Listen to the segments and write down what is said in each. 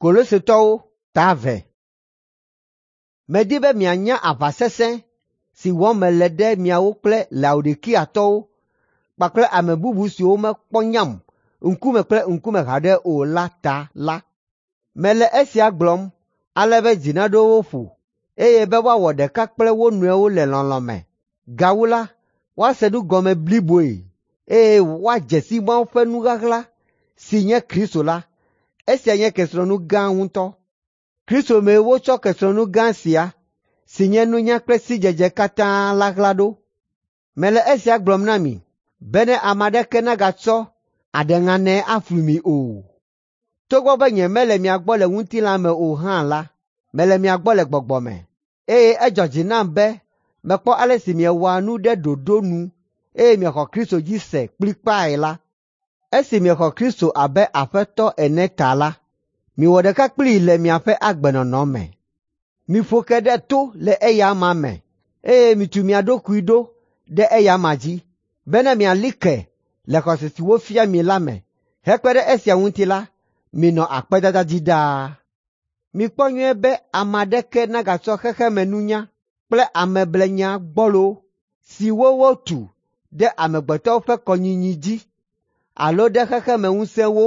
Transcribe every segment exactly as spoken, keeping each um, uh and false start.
Kolosetɔwo ta eve. Medi be mianya aʋa sesẽ si wɔm mele ɖe miawo kple Laodikiatɔwo kpakple ame bubu siwo mekpɔ nyam ŋkume kple ŋkume haɖe o la ta la. Mele esia gblɔm ale be dzi naɖo wo ƒo, eye be woawɔ ɖeka kple wo nɔewo le lɔlɔ̃ me. Gawu la, woase nu gɔme bliboe, eye woadze si Mawu ƒe nu ɣaɣla si nye Kristo la. Esia nye kesinɔnu gã ŋutɔ. Kristo mee wotsɔ kesinɔnu gã sia si nye nunya kple sidzedze katã la ɣla ɖo. Mele esia gblɔm na mi bene ame aɖeke nagatsɔ aɖeŋanɛ aflu mi o. Togbɔ be nyemele mia gbɔ le ŋutilã me o hã la, mele mia gbɔ le gbɔgbɔ me, eye edzɔ dzi nam be mekpɔ ale si miewɔa nu ɖe ɖoɖo nu eye miexɔ Kristo dzi se kplikpae la. Esi miexɔ Kristo abe Aƒetɔ ene ta la, miwɔ ɖeka kplii le miaƒe agbenɔnɔ me. Miƒo ke ɖe to le eya amea me, eye mitu mia ɖokui ɖo ɖe eya amea dzi, bene miali ke le xɔse si wofia mi la me. Hekpe ɖe esia ŋuti la, minɔ akpedada dzi ɖaa. Mikpɔ nyuie be ame aɖeke nagatsɔ xexemenunya kple ameblenya gbɔlo siwo wotu ɖe amegbetɔwo ƒe kɔnyinyi dzi alo ɖe xexemeŋusẽwo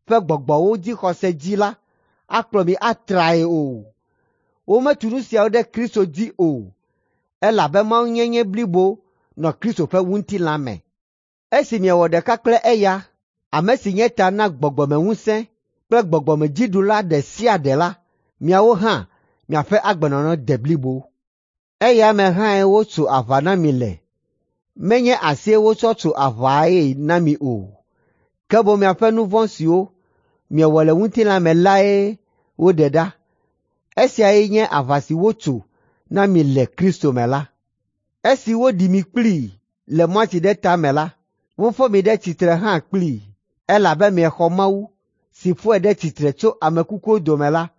ƒe gbɔgbɔwo dzixɔse dzi la akplɔ mi atrae o. Wometu nu siawo ɖe Kristo dzi o, elabe Mawunyenye blibo nɔ Kristo ƒe ŋutilã me. Esi miewɔ ɖeka kple eya, ame si nye ta na gbɔgbɔmeŋusẽ kple gbɔgbɔmedziɖula ɖe sia ɖe la, miawo hã miaƒe agbenɔnɔ de blibo. Eya me hãe wotso aʋa na mi le. Menye asie wotsɔ tso aʋae na mi o, ke boŋ miaƒe nu vɔ̃ siwo miewɔ le ŋutilã me lae woɖe ɖa. Esiae nye aʋa si wotso na mi le Kristo me la. Esi woɖi mi kplii le mɔtsi ɖe ta me la, wofɔ mi ɖe tsitre hã kplii, elabe miexɔ Mawu si fɔe ɖe tsitre tso ame kukuwo dome la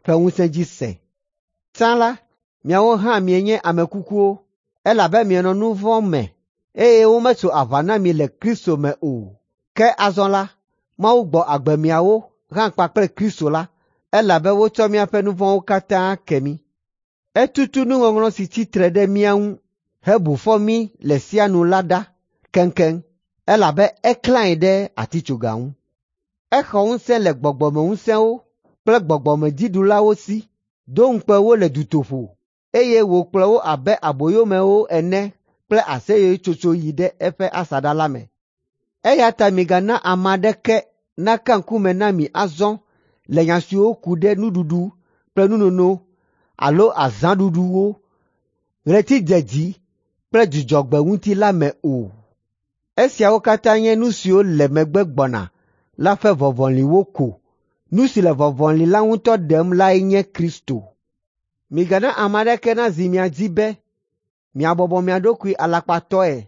ƒe ŋusẽ dzi se. Tsã la, miawo hã mienye ame kukuwo, elabe mienɔ nu vɔ̃ me eye wometso aʋa na mi le Kristo me o. Ke azɔ la, Mawu gbɔ agbe miawo hã kpakple Kristo la, elabe wotsɔ míaƒe nu vɔ̃wo katã ke mí. Etutu nuŋɔŋlɔ si tsi tre ɖe mía ŋu hebu fɔ mí le sia nu la ɖa keŋkeŋ, elabe eklãe ɖe atitsoga ŋu. Exɔ ŋusẽ le gbɔgbɔmeŋusẽwo kple gbɔgbɔmedziɖulawo si, do ŋukpe wo le dutoƒo, eye wòkplɔ wo abe aboyomewo ene kple aseyetsotso yi ɖe eƒe asaɖa la me. Eya ta migana ame aɖeke naka ŋkume na mi azɔ le nya siwo ku ɖe nuɖuɖu kple nunono alo azãɖuɖuwo, ɣletidzedzi kple dzudzɔgbe ŋuti la me o. Esiawo katã nye nu siwo le megbe gbɔna la ƒe vɔvɔliwo ko. Nu si le vɔvɔli la ŋutɔ ɖem lae nye Kristo. Migana ame aɖeke nazi mia dzi be miabɔbɔ mia ɖokui alakpatɔe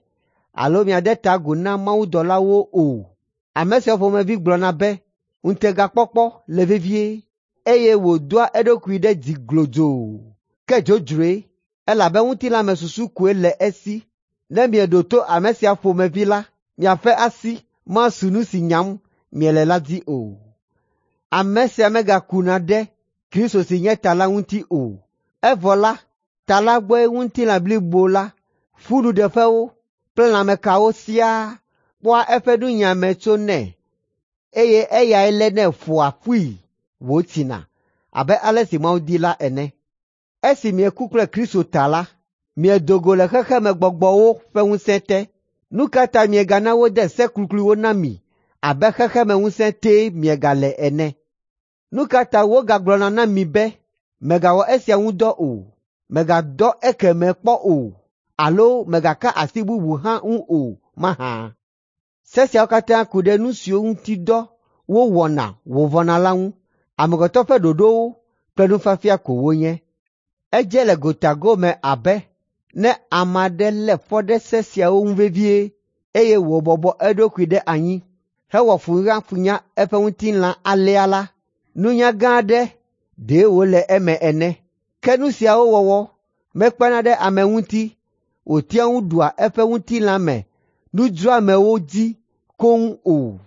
alo miade ta agu na mawudɔlawo o. Ame siawo ƒomevi gblɔna be ŋutegakpɔkpɔ le vevie, eye wòdoa eɖokui ɖe dzi glodzoo. Ke dzodzroe, elabe ŋutilãmesusu koe le esi. Ne mieɖo to ame sia ƒomevi la, miaƒe asi masu nu si nyam miele la dzi o. Ame sia megakuna ɖe Kristo si nye ta la ŋuti o. Evɔ la, ta la gbɔe ŋutilã blibo la, ƒunuɖeƒewo kple lãmekawo siaa kpɔa eƒe nunyiame tsonɛ, eye eyae lénɛ ƒoa ƒui wòtsina abe ale si Mawu di la ene. Esi mieku kple Kristo ta la, miedo go le xexemegbɔgbɔwo ƒe ŋusẽ te. Nu ka ta miegana wode se klukluiwo na mi abe xexemeŋusẽ tee miegale ene? Nu ka ta wogagblɔna na mi be, mègawɔ esia ŋu dɔ o, mègadɔ ekemɛ kpɔ o, alo mègaka asi bubu hã ŋu o mahã? Se siawo katã ku ɖe nu siwo ŋuti dɔ wowɔna wòvɔna la ŋu. Amegbetɔ ƒe ɖoɖowo kple nufiafia ko wonye. Edze le gotagome abe ne ame aɖe lé fɔ ɖe se siawo ŋu vevie eye wòbɔbɔ eɖokui ɖe anyi hewɔ funyafunya eƒe ŋutilã alea la, nunya gã aɖe ɖe wòle eme ene. Ke nu siawo wɔwɔ mekpena ɖe ame ŋuti wòtea ŋu ɖua eƒe ŋutilã me nudzroamewo dzi koŋ o.